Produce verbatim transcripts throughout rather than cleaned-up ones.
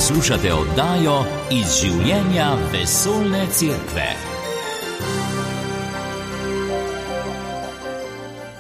Poslušate oddajo Iz življenja vesoljne cerkve.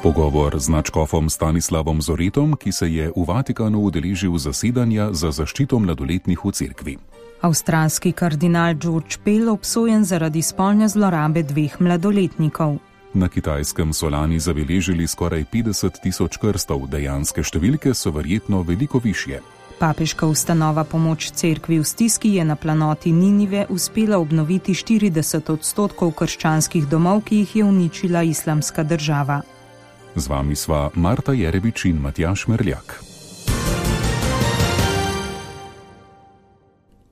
Pogovor z nadškofom Stanislavom Zoretom, ki se je v Vatikanu udeležil zasedanja za zaščito mladoletnih v cerkvi. Avstralski kardinal George Pell obsojen zaradi spolne zlorabe dveh mladoletnikov. Na Kitajskem so lani zabeležili skoraj petdeset tisoč krstov, dejanske številke so verjetno veliko višje. Papeška ustanova Pomoč cerkvi v stiski je na planoti Ninive uspela obnoviti štirideset odstotkov krščanskih domov, ki jih je uničila Islamska država. Z vami sva Marta Jerebič in Matjaž Merljak.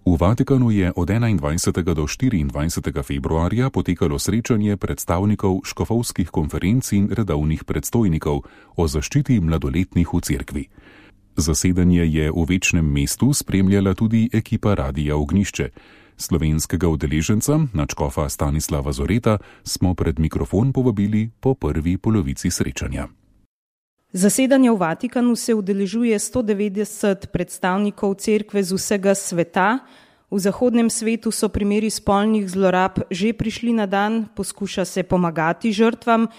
V Vatikanu je od enaindvajsetega do štiriindvajsetega februarja potekalo srečanje predstavnikov škofovskih konferenc in redovnih predstojnikov o zaščiti mladoletnih v cerkvi. Zasedanje je v Večnem mestu spremljala tudi ekipa Radia Ognjišče. Slovenskega udeleženca, nadškofa Stanislava Zoreta, smo pred mikrofon povabili po prvi polovici srečanja. Zasedanje v Vatikanu se udeležuje sto devetdeset predstavnikov cerkve z vsega sveta. V zahodnem svetu so primeri spolnih zlorab že prišli na dan, poskuša se pomagati žrtvam,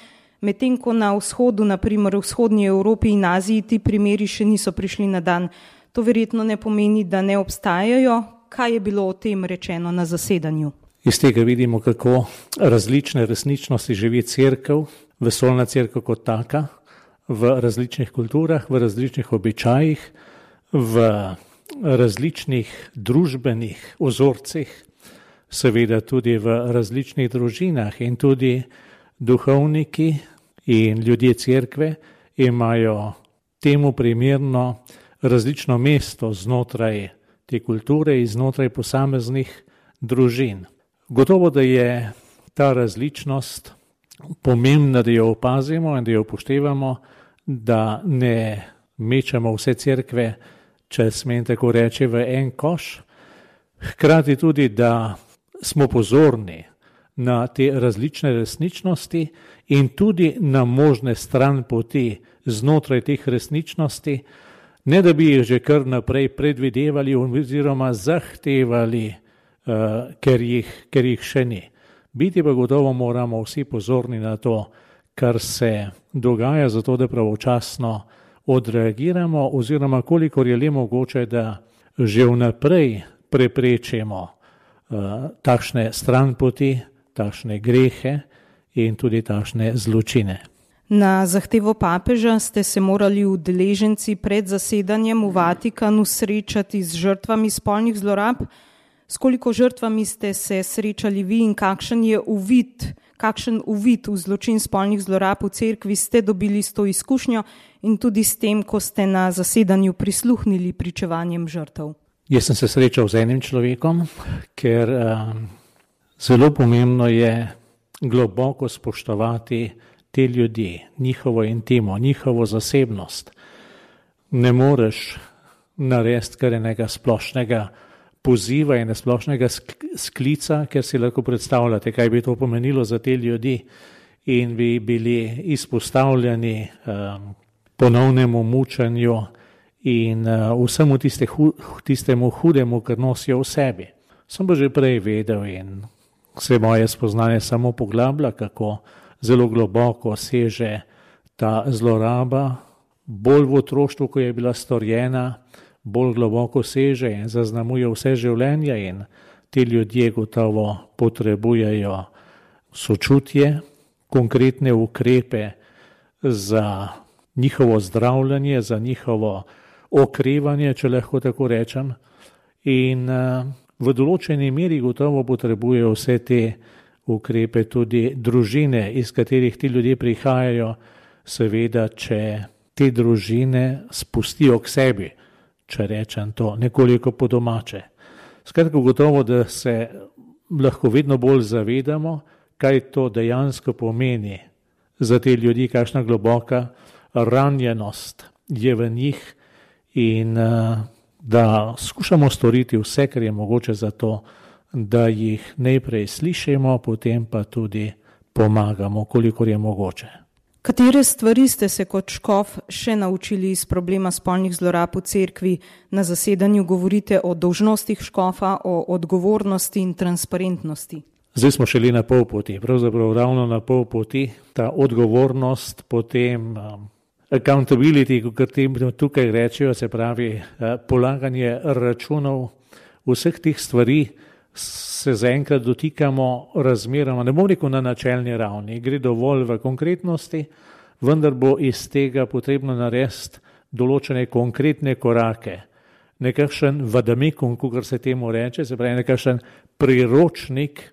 medtem ko na vzhodu, na primer v vzhodnji Evropi in Aziji, ti primeri še niso prišli na dan. To verjetno ne pomeni, da ne obstajajo. Kaj je bilo o tem rečeno na zasedanju? Iz tega vidimo, kako različne resničnosti živi cerkev, vesoljna cerkev kot taka, v različnih kulturah, v različnih običajih, v različnih družbenih ozorcih, seveda tudi v različnih družinah, in tudi duhovniki in ljudje cerkve imajo temu primerno različno mesto znotraj te kulture in znotraj posameznih družin. Gotovo, da je ta različnost pomembna, da jo opazimo in da jo upoštevamo, da ne mečemo vse cerkve, če smem tako reči, v en koš. Hkrati tudi, da smo pozorni na te različne resničnosti in tudi na možne stranpoti znotraj teh resničnosti, ne da bi jih že kar naprej predvidevali oziroma zahtevali, uh, ker, jih, ker jih še ni. Biti pa gotovo moramo vsi pozorni na to, kar se dogaja, zato da pravočasno odreagiramo oziroma kolikor je le mogoče, da že vnaprej preprečimo uh, takšne stranpoti, takšne grehe in tudi takšne zločine. Na zahtevo papeža ste se morali udeleženci pred zasedanjem v Vatikanu srečati z žrtvami spolnih zlorab. S koliko žrtvami ste se srečali vi in kakšen je uvid, kakšen uvid v zločin spolnih zlorab v cerkvi ste dobili s to izkušnjo in tudi s tem, ko ste na zasedanju prisluhnili pričevanjem žrtev? Jaz sem se srečal z enim človekom, ker um, zelo pomembno je globoko spoštovati te ljudi, njihovo intimo, njihovo zasebnost. Ne moreš narediti kar enega splošnega poziva in splošnega sklica, ker si lahko predstavljate, kaj bi to pomenilo za te ljudi in bi bili izpostavljeni um, ponovnemu mučenju in uh, vsemu tiste hu, tistemu hudemu, kar nosijo v sebi. Sem pa že prej vedel in se moje spoznanje samo poglablja, kako zelo globoko seže ta zloraba, bolj v otroštvu, ko je bila storjena, bolj globoko seže in zaznamuje vse življenje in ti ljudje gotovo potrebujejo sočutje, konkretne ukrepe za njihovo zdravljenje, za njihovo okrevanje, če lahko tako rečem, in v določeni meri gotovo potrebujejo vse te ukrepe tudi družine, iz katerih ti ljudje prihajajo, seveda, če te družine spustijo k sebi, če rečem to nekoliko po domače. Skratka, gotovo, da se lahko vedno bolj zavedamo, kaj to dejansko pomeni za te ljudi, kakšna globoka ranjenost je v njih in da skušamo storiti vse, kar je mogoče za to, da jih najprej slišimo, potem pa tudi pomagamo, kolikor je mogoče. Katere stvari ste se kot škof še naučili iz problema spolnih zlorab v cerkvi? Na zasedanju govorite o dolžnostih škofa, o odgovornosti in transparentnosti. Zdaj smo šele na pol poti, pravzaprav ravno na pol poti, ta odgovornost, potem um, accountability, kot tukaj rečejo, se pravi uh, polaganje računov, vseh teh stvari se zaenkrat dotikamo razmeroma, ne bom rekel na načelni ravni, gre dovolj v konkretnosti, vendar bo iz tega potrebno narediti določene konkretne korake, nekakšen vadamekum, kakor se temu reče, se pravi nekakšen priročnik,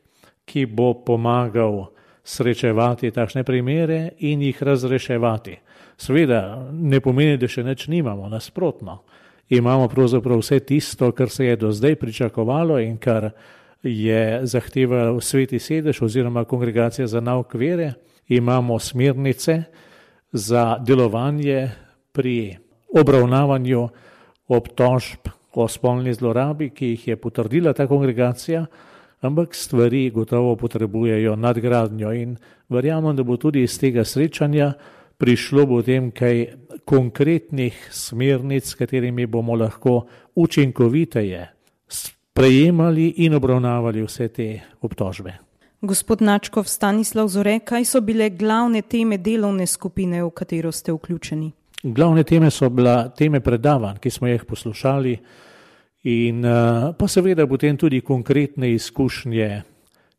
ki bo pomagal srečevati takšne primere in jih razreševati. Seveda ne pomeni, da še nič nimamo, nasprotno. Imamo pravzaprav vse tisto, kar se je do zdaj pričakovalo in kar je zahteval Sveti sedež oziroma Kongregacija za nauk vere. Imamo smernice za delovanje pri obravnavanju obtožb o spolni zlorabi, ki jih je potrdila ta kongregacija, ampak stvari gotovo potrebujejo nadgradnjo in verjamem, da bo tudi iz tega srečanja prišlo potem kaj konkretnih smernic, s katerimi bomo lahko učinkoviteje sprejemali in obravnavali vse te obtožbe. Gospod Načkov, Stanislav Zore, kaj so bile glavne teme delovne skupine, v katero ste vključeni? Glavne teme so bila teme predavanj, ki smo jih poslušali in pa seveda potem tudi konkretne izkušnje,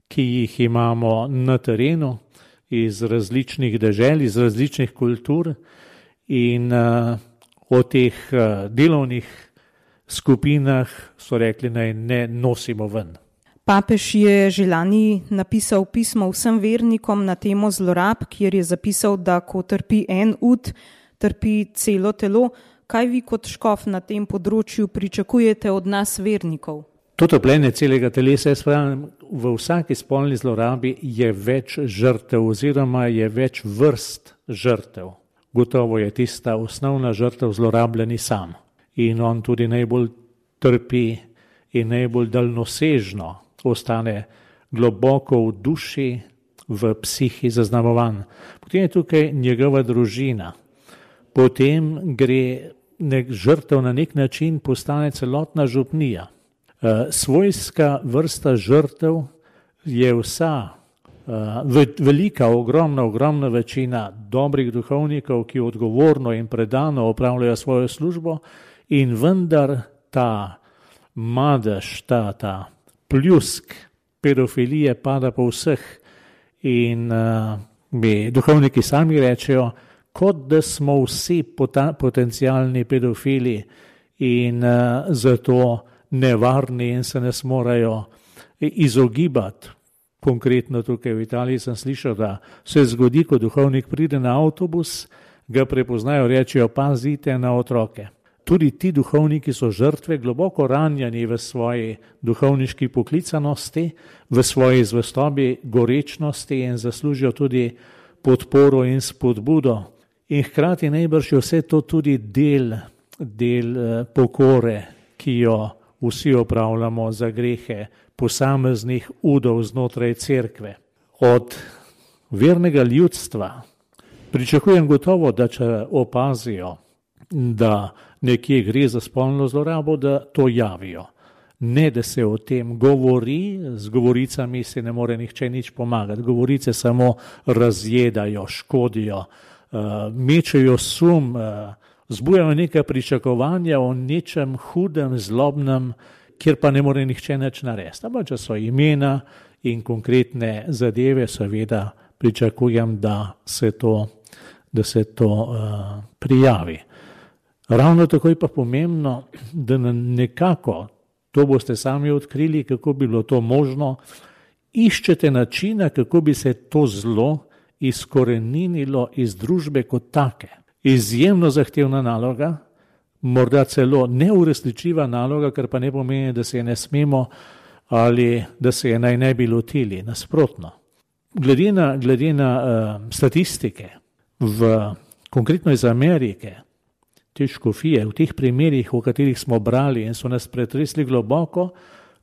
ki jih imamo na terenu, iz različnih dežel, iz različnih kultur in uh, o teh uh, delovnih skupinah so rekli, naj ne nosimo ven. Papež je že lani napisal pismo vsem vernikom na temo zlorab, kjer je zapisal, da ko trpi en ud, trpi celo telo. Kaj vi kot škof na tem področju pričakujete od nas vernikov? To trpljenje celega telesa, jaz pravim, v vsaki spolni zlorabi je več žrtev oziroma je več vrst žrtev. Gotovo je tista osnovna žrtev zlorabljeni sam in on tudi najbolj trpi in najbolj daljnosežno ostane globoko v duši, v psihi zaznamovan. Potem je tukaj njegova družina, potem gre nek žrtev na nek način postane celotna župnija. Svojska vrsta žrtev je vsa, velika, ogromna, ogromna večina dobrih duhovnikov, ki odgovorno in predano opravljajo svojo službo in vendar ta madež, ta, ta pljusk pedofilije pada po vseh in mi duhovniki sami rečejo, kot da smo vsi potencialni pedofili in zato nevarni in se ne smorajo izogibati. Konkretno tukaj v Italiji sem slišal, da se zgodi, ko duhovnik pride na avtobus, ga prepoznajo, rečejo, pazite na otroke. Tudi ti duhovniki so žrtve, globoko ranjeni v svoji duhovniški poklicanosti, v svoji zvestobi, gorečnosti in zaslužijo tudi podporo in spodbudo. In hkrati najbrž je vse to tudi del, del pokore, ki jo vsi opravljamo za grehe posameznih udov znotraj cerkve. Od vernega ljudstva pričakujem gotovo, da če opazijo, da nekje gre za spolno zlorabo, da to javijo. Ne, da se o tem govori, z govoricami se ne more nihče nič pomagati. Govorice samo razjedajo, škodijo, mečejo sum, zbujajo neka pričakovanja o nečem hudem, zlobnem, kjer pa ne more nihče nič narediti. Ampak če so imena in konkretne zadeve, seveda pričakujem, da se to, da se to uh, prijavi. Ravno tako je pa pomembno, da nekako, to boste sami odkrili, kako bi bilo to možno, iščete načina, kako bi se to zlo izkoreninilo iz družbe kot take. Izjemno zahtevna naloga, morda celo neuresničljiva naloga, kar pa ne pomeni, da se je ne smemo ali da se je naj ne bi lotili, nasprotno. Glede na, glede na uh, statistike, v, konkretno iz Amerike, te škofije, v teh primerih, v katerih smo brali in so nas pretresli globoko,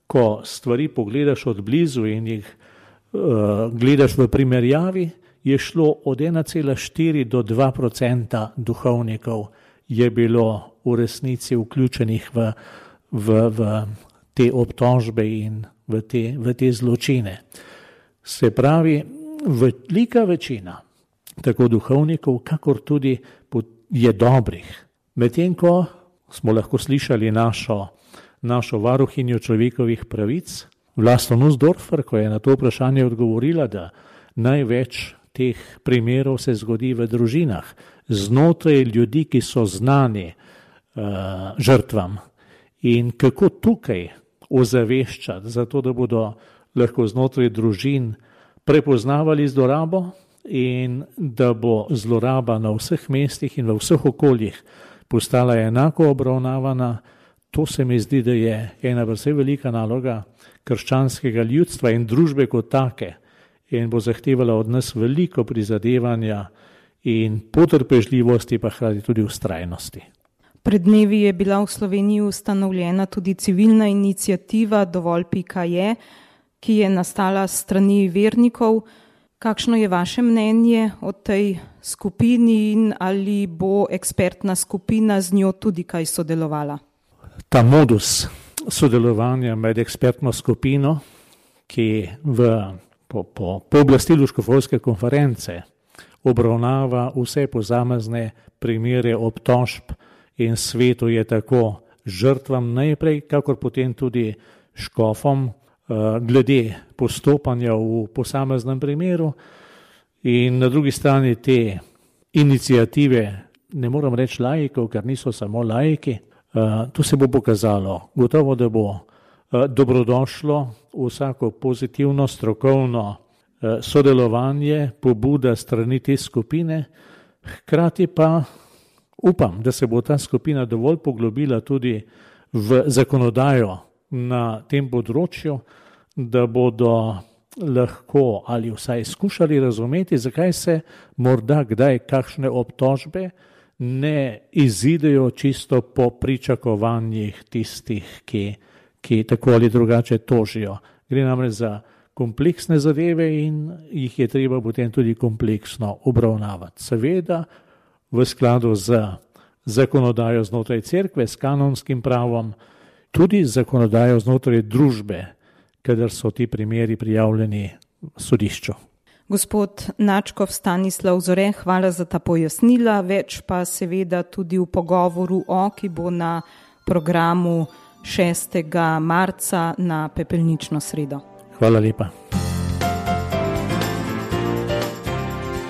ko stvari pogledaš od blizu in jih uh, gledaš v primerjavi, je šlo od ena cela štiri do dva procenta duhovnikov je bilo v resnici vključenih v, v, v te obtožbe in v te, v te zločine. Se pravi, velika večina tako duhovnikov, kakor tudi je dobrih. Medtem ko smo lahko slišali našo, našo varuhinjo človekovih pravic, Vlasto Nussdorfer, ko je na to vprašanje odgovorila, da največ teh primerov se zgodi v družinah, znotraj ljudi, ki so znani uh, žrtvam. In kako tukaj ozaveščati, zato da bodo lahko znotraj družin prepoznavali zlorabo in da bo zloraba na vseh mestih in v vseh okoljih postala enako obravnavana, to se mi zdi, da je ena precej velika naloga krščanskega ljudstva in družbe kot take in bo zahtevala od nas veliko prizadevanja in potrpežljivosti, pa hkrati tudi vztrajnosti. Pred dnevi je bila v Sloveniji ustanovljena tudi civilna iniciativa Dovolj pika je, ki je nastala s strani vernikov. Kakšno je vaše mnenje o tej skupini in ali bo ekspertna skupina z njo tudi kaj sodelovala? Ta modus sodelovanja med ekspertno skupino, ki v, po, po pooblastilu škofovske konference obravnava vse posamezne primere obtožb in svetu je tako žrtvam najprej, kakor potem tudi škofom, glede postopanja v posameznem primeru in na drugi strani te iniciative, ne moram reči laikov, ker niso samo laiki, to se bo pokazalo. Gotovo, da bo dobrodošlo vsako pozitivno, strokovno sodelovanje, pobuda strani te skupine, hkrati pa upam, da se bo ta skupina dovolj poglobila tudi v zakonodajo na tem področju, da bodo lahko ali vsaj skušali razumeti, zakaj se morda kdaj kakšne obtožbe ne izidejo čisto po pričakovanjih tistih, ki, ki tako ali drugače tožijo. Gre namreč za kompleksne zadeve in jih je treba potem tudi kompleksno obravnavati. Seveda v skladu z zakonodajo znotraj cerkve, s kanonskim pravom, tudi zakonodajo znotraj družbe, kadar so ti primeri prijavljeni sodišču. Gospod Načkov Stanislav Zore, hvala za ta pojasnila, več pa seveda tudi v pogovoru o, ki bo na programu šestega marca na pepelnično sredo. Hvala lepa.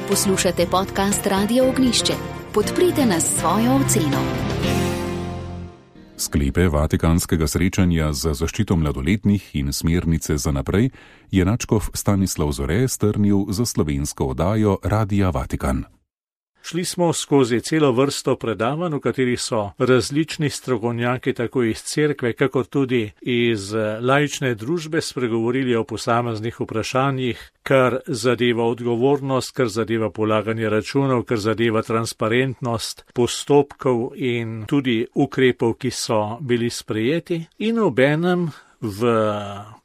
Poslušate podcast Radio Ognjišče. Podprite nas s svojo oceno. Sklepe vatikanskega srečanja za zaščito mladoletnih in smernice za naprej je Načkov Stanislav Zore strnil za slovensko oddajo Radia Vatikan. Šli smo skozi celo vrsto predavanj, v katerih so različni strokovnjaki tako iz cerkve, kakor tudi iz laične družbe spregovorili o posameznih vprašanjih, kar zadeva odgovornost, kar zadeva polaganje računov, kar zadeva transparentnost postopkov in tudi ukrepov, ki so bili sprejeti, in obenem v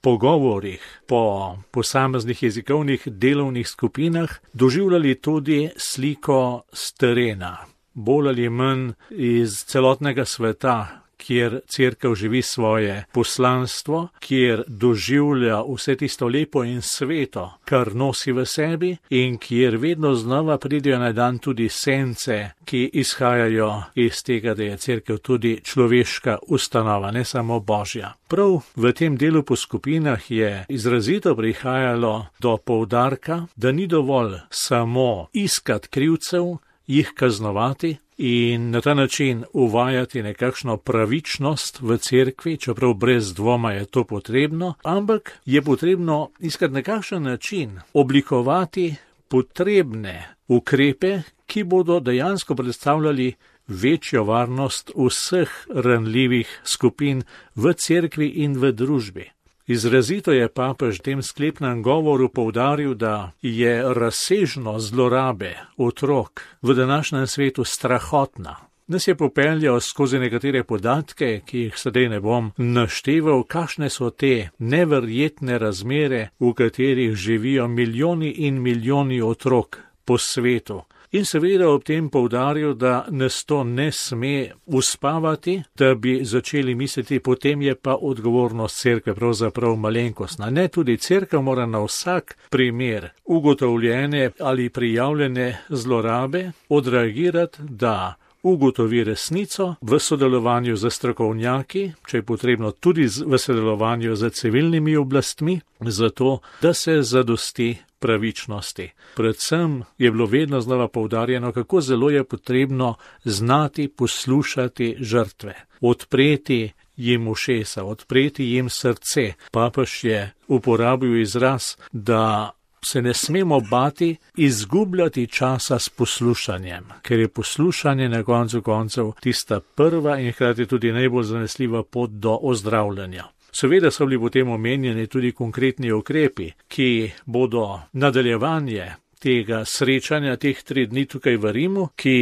pogovorih po posameznih jezikovnih delovnih skupinah doživljali tudi sliko s terena, bolj ali manj iz celotnega sveta, kjer cerkev živi svoje poslanstvo, kjer doživlja vse tisto lepo in sveto, kar nosi v sebi in kjer vedno znova pridejo na dan tudi sence, ki izhajajo iz tega, da je cerkev tudi človeška ustanova, ne samo božja. Prav v tem delu po skupinah je izrazito prihajalo do poudarka, da ni dovolj samo iskati krivcev, jih kaznovati in na ta način uvajati nekakšno pravičnost v cerkvi, čeprav brez dvoma je to potrebno, ampak je potrebno iskati nekakšen način oblikovati potrebne ukrepe, ki bodo dejansko predstavljali večjo varnost vseh ranljivih skupin v cerkvi in v družbi. Izrazito je papež v tem sklepnem govoru poudaril, da je razsežnost zlorabe otrok v današnjem svetu strahotna. nas je popeljal skozi nekatere podatke, ki jih sedaj ne bom našteval, kakšne so te neverjetne razmere, v katerih živijo milijoni in milijoni otrok po svetu. In seveda ob tem poudaril, da nas to ne sme uspavati, da bi začeli misliti, potem je pa odgovornost cerkve pravzaprav malenkostna. Ne, tudi cerkev mora na vsak primer ugotovljene ali prijavljene zlorabe odreagirati, da ugotovi resnico v sodelovanju z strokovnjaki, če je potrebno tudi v sodelovanju z civilnimi oblastmi, zato da se zadosti pravičnosti. Predvsem je bilo vedno znova poudarjeno, kako zelo je potrebno znati poslušati žrtve, odpreti jim ušesa, odpreti jim srce. Papež je uporabil izraz, da se ne smemo bati izgubljati časa s poslušanjem, ker je poslušanje na koncu koncev tista prva in hkrati tudi najbolj zanesljiva pot do ozdravljanja. Seveda so bili potem omenjeni tudi konkretni ukrepi, ki bodo nadaljevanje tega srečanja, teh tri dni tukaj v Rimu, ki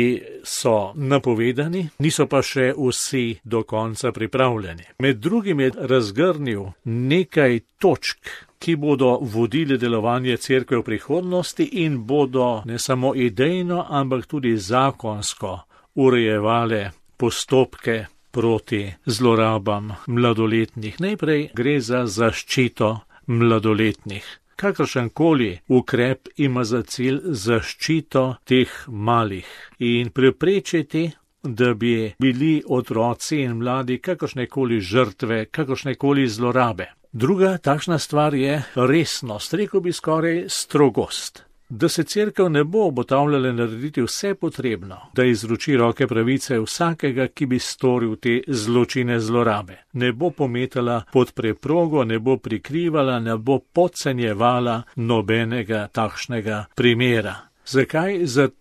so napovedani, niso pa še vsi do konca pripravljeni. Med drugim je razgrnil nekaj točk, ki bodo vodili delovanje cerkve v prihodnosti in bodo ne samo idejno, ampak tudi zakonsko urejevale postopke proti zlorabam mladoletnih. Najprej gre za zaščito mladoletnih. Kakršenkoli ukrep ima za cilj zaščito teh malih in preprečiti, da bi bili otroci in mladi kakršnekoli žrtve, kakršnekoli zlorabe. Druga takšna stvar je resnost, rekel bi skoraj strogost. Da se cerkev ne bo obotavljala narediti vse potrebno, da izroči roke pravice vsakega, ki bi storil te zločine zlorabe. Ne bo pometala pod preprogo, ne bo prikrivala, ne bo podcenjevala nobenega takšnega primera. Zakaj? Zato,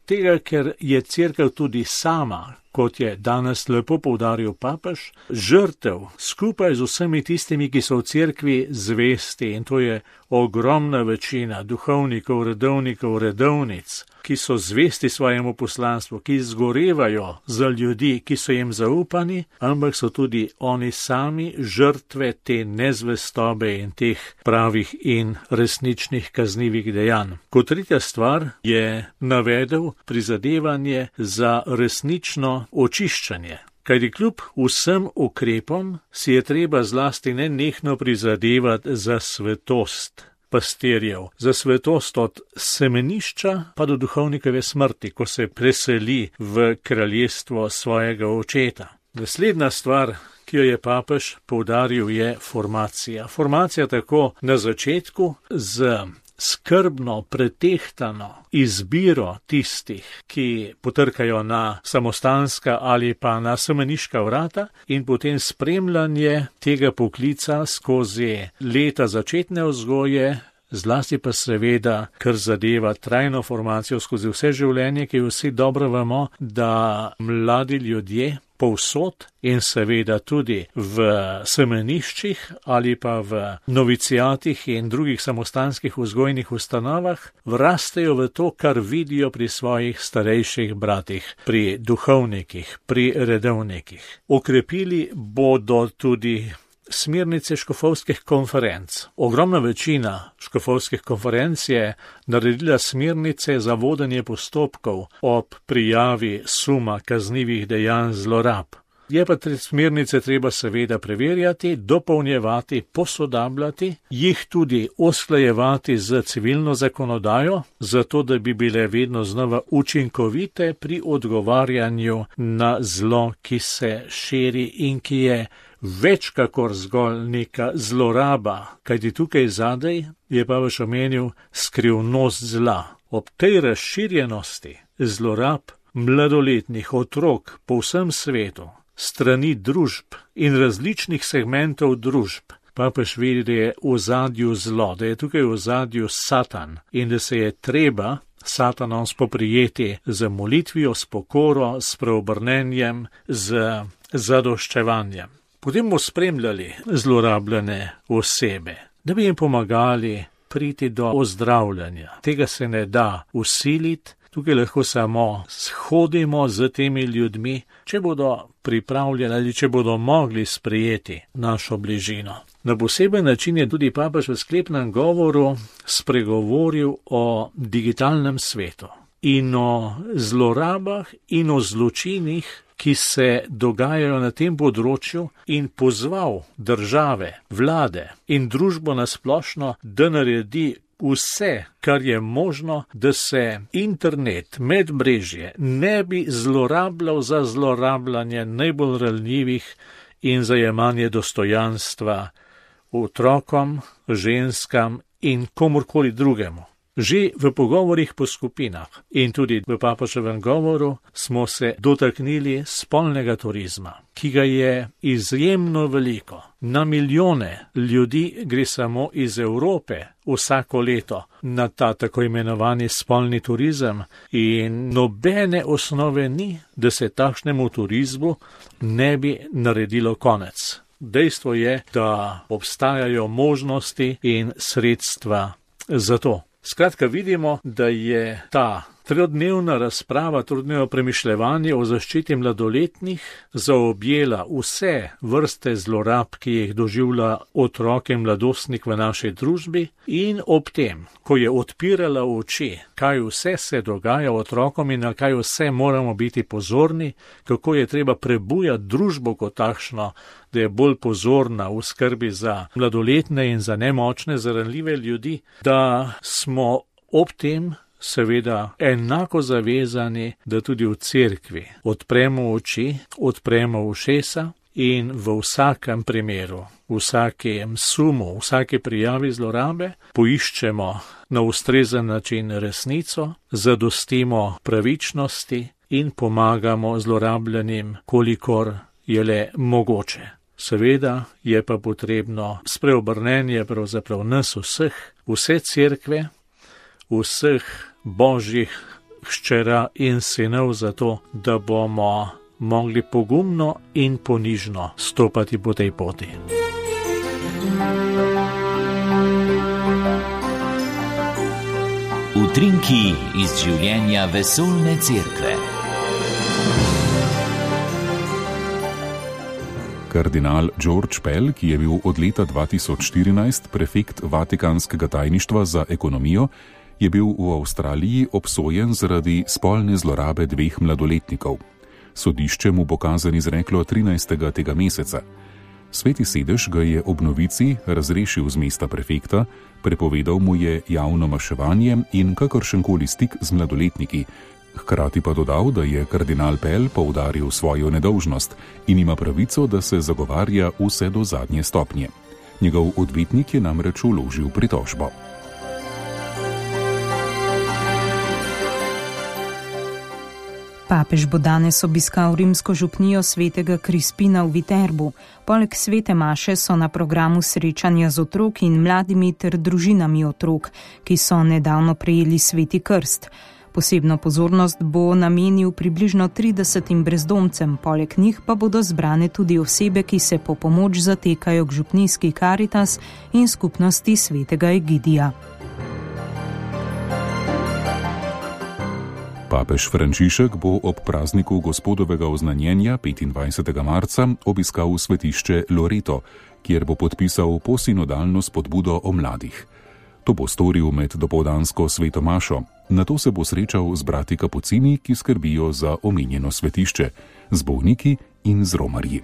ker je cerkev tudi sama, kot je danes lepo poudaril papež, žrtev skupaj z vsemi tistimi, ki so v cerkvi zvesti, in to je ogromna večina duhovnikov, redovnikov, redovnic, ki so zvesti svojemu poslanstvu, ki zgorevajo za ljudi, ki so jim zaupani, ampak so tudi oni sami žrtve te nezvestobe in teh pravih in resničnih kaznivih dejanj. Kot tretja stvar je navedel prizadevanje za resnično očiščanje. Kajti kljub vsem ukrepom si je treba zlasti nenehno prizadevati za svetost pastirjev, za svetost od semenišča pa do duhovnikove smrti, ko se preseli v kraljestvo svojega očeta. Naslednja stvar, ki jo je papež poudaril, je formacija. Formacija tako na začetku z skrbno, pretehtano izbiro tistih, ki potrkajo na samostanska ali pa na semeniška vrata, in potem spremljanje tega poklica skozi leta začetne vzgoje, zlasti pa seveda, kar zadeva trajno formacijo skozi vse življenje, ki vsi dobro vemo, da mladi ljudje povsod in seveda tudi v semeniščih ali pa v novicijatih in drugih samostanskih vzgojnih ustanovah vrastejo v to, kar vidijo pri svojih starejših bratih, pri duhovnikih, pri redovnikih. Okrepili bodo tudi smernice škofovskih konferenc. Ogromna večina škofovskih konferenc je naredila smernice za vodenje postopkov ob prijavi suma kaznivih dejanj zlorab. Je pa te smernice treba seveda preverjati, dopolnjevati, posodabljati, jih tudi usklajevati z civilno zakonodajo, zato da bi bile vedno znova učinkovite pri odgovarjanju na zlo, ki se širi in ki je več kakor zgolj neka zloraba, kajti tukaj zadaj je pa vaš omenil skrivnost zla. Ob tej razširjenosti zlorab mladoletnih otrok po vsem svetu, strani družb in različnih segmentov družb, papež vidi, da je v ozadju zlo, da je tukaj v ozadju Satan in da se je treba Satanom spoprijeti z molitvijo, s pokoro, s preobrnenjem, z zadoščevanjem. Potem bomo spremljali zlorabljene osebe, da bi jim pomagali priti do ozdravljanja. Tega se ne da usiliti, Tukaj lahko samo shodimo z temi ljudmi, če bodo pripravljeni ali če bodo mogli sprejeti našo bližino. Na poseben način je tudi papež v sklepnem govoru spregovoril o digitalnem svetu in o zlorabah in o zločinih, ki se dogajajo na tem področju, in pozval države, vlade in družbo nasplošno, da naredi vse, kar je možno, da se internet, medmrežje ne bi zlorabljal za zlorabljanje najbolj ranljivih in za jemanje dostojanstva otrokom, ženskam in komurkoli drugemu. Že v pogovorih po skupinah in tudi v papeževem govoru smo se dotaknili spolnega turizma, ki ga je izjemno veliko. Na milijone ljudi gre samo iz Evrope vsako leto na ta tako imenovani spolni turizem in nobene osnove ni, da se takšnemu turizmu ne bi naredilo konec. Dejstvo je, da obstajajo možnosti in sredstva za to. Skratka, vidimo, da je ta trodnevna razprava, trodnevno premišljevanje o zaščiti mladoletnih zaobjela vse vrste zlorab, ki jih doživlja otrok in mladostnik v naši družbi, in ob tem, ko je odpirala oči, kaj vse se dogaja otrokom in na kaj vse moramo biti pozorni, kako je treba prebujati družbo kot takšno, da je bolj pozorna v skrbi za mladoletne in za nemočne, za ranljive ljudi, da smo ob tem seveda enako zavezani, da tudi v cerkvi odpremo oči, odpremo ušesa in v vsakem primeru, v vsakem sumu, v vsake prijavi zlorabe poiščemo na ustrezen način resnico, zadostimo pravičnosti in pomagamo zlorabljenim, kolikor je le mogoče. Seveda je pa potrebno spreobrnenje pravzaprav nas vseh, vse cerkve, vseh božjih hčera in sinov za to, da bomo mogli pogumno in ponižno stopati po tej poti. Utrinki iz življenja vesoljne cerkve. Kardinal George Pell, ki je bil od leta dva tisoč štirinajst prefekt Vatikanskega tajništva za ekonomijo, je bil v Avstraliji obsojen zaradi spolne zlorabe dveh mladoletnikov. Sodišče mu bo kazen izreklo trinajstega tega meseca. Sveti sedež ga je ob novici razrešil z mesta prefekta, prepovedal mu je javno maševanje in kakršenkoli stik z mladoletniki, hkrati pa dodal, da je kardinal Pell poudaril svojo nedolžnost in ima pravico, da se zagovarja vse do zadnje stopnje. Njegov odvetnik je namreč vložil pritožbo. Papež bo danes obiskal rimsko župnijo svetega Krispina v Viterbu. Poleg svete maše so na programu srečanja z otroki in mladimi ter družinami otrok, ki so nedavno prejeli sveti krst. Posebno pozornost bo namenil približno tridesetim brezdomcem, poleg njih pa bodo zbrane tudi osebe, ki se po pomoč zatekajo k župnijski Karitas in skupnosti svetega Egidija. Papež Frančišek bo ob prazniku Gospodovega oznanjenja petindvajsetega marca obiskal svetišče Loreto, kjer bo podpisal posinodalno spodbudo o mladih. To bo storil med dopoldansko sveto mašo. Nato se bo srečal z brati kapucini, ki skrbijo za omenjeno svetišče, z bolniki in z romarji.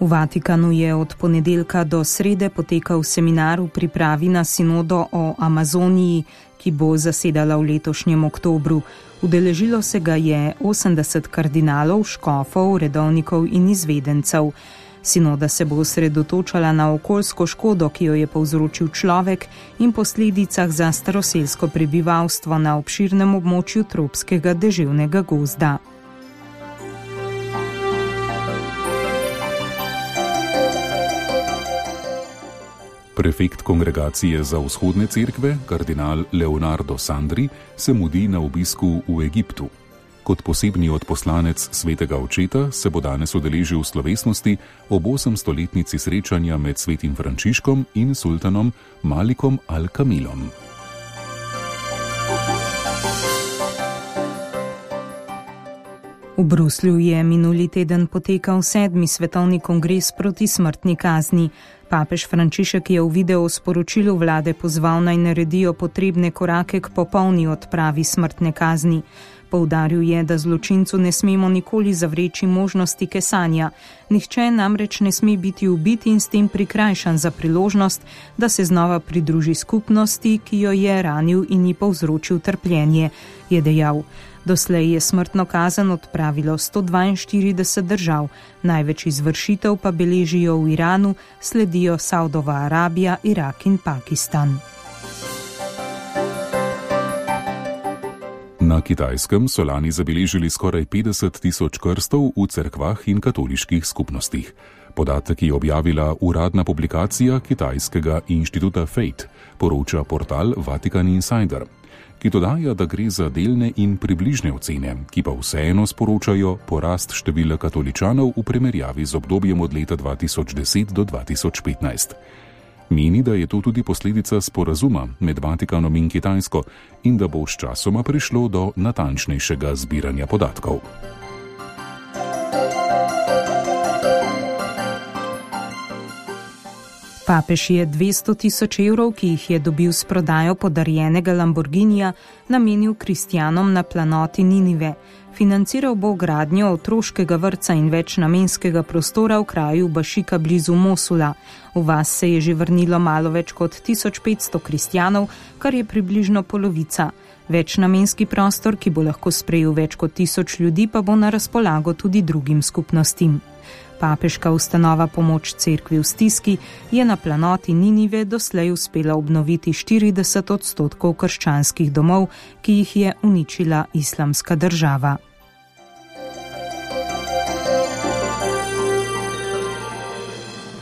V Vatikanu je od ponedeljka do srede potekal seminar v pripravi na sinodo o Amazoniji, ki bo zasedala v letošnjem oktobru. Udeležilo se ga je osemdeset kardinalov, škofov, redovnikov in izvedencev. Sinoda se bo osredotočala na okoljsko škodo, ki jo je povzročil človek, in posledicah za staroselsko prebivalstvo na obširnem območju tropskega deževnega gozda. Prefekt kongregacije za vzhodne cerkve, kardinal Leonardo Sandri, se mudi na obisku v Egiptu. Kot posebni odposlanec svetega očeta se bo danes udeležil slovesnosti ob osemstoletnici srečanja med svetim Frančiškom in sultanom Malikom al-Kamilom. V Bruslju je minuli teden potekal sedmi svetovni kongres proti smrtni kazni. Papež Frančišek je v video sporočilu vlade pozval naj naredijo potrebne korake k popolni odpravi smrtne kazni. Poudaril je, da zločincu ne smemo nikoli zavreči možnosti kesanja. Nihče namreč ne sme biti ubit in s tem prikrajšan za priložnost, da se znova pridruži skupnosti, ki jo je ranil in ji povzročil trpljenje, je dejal. Doslej je smrtno kazen odpravilo sto dvainštirideset držav, največ izvršitev pa beležijo v Iranu, sledijo Saudova Arabija, Irak in Pakistan. Na Kitajskem so lani zabeležili skoraj petdeset tisoč krstov v cerkvah in katoliških skupnostih. Podatek je objavila uradna publikacija kitajskega inštituta Fate, poroča portal Vatican Insider, ki dodaja, da gre za delne in približne ocene, ki pa vseeno sporočajo porast števila katoličanov v primerjavi z obdobjem od leta dva tisoč deset do dva tisoč petnajst. Meni, da je to tudi posledica sporazuma med Vatikanom in Kitajsko in da bo sčasoma prišlo do natančnejšega zbiranja podatkov. Papež je dvesto tisoč evrov, ki jih je dobil s prodajo podarjenega Lamborghinija, namenil kristjanom na planoti Ninive. Financiral bo gradnjo otroškega vrtca in večnamenskega prostora v kraju Bašika blizu Mosula. V vas se je že vrnilo malo več kot tisoč petsto kristjanov, kar je približno polovica. Večnamenski prostor, ki bo lahko sprejel več kot tisoč ljudi, pa bo na razpolago tudi drugim skupnostim. Papeška ustanova Pomoč cerkvi v stiski je na planoti Ninive doslej uspela obnoviti štirideset odstotkov krščanskih domov, ki jih je uničila islamska država.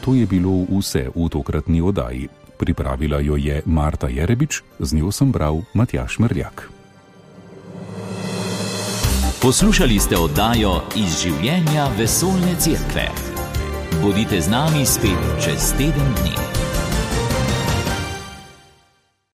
To je bilo vse v tokratni oddaji. Pripravila jo je Marta Jerebič, z njo sem bral Matjaž Mrljak. Poslušali ste oddajo Iz življenja vesoljne cerkve. Bodite z nami spet čez teden dni.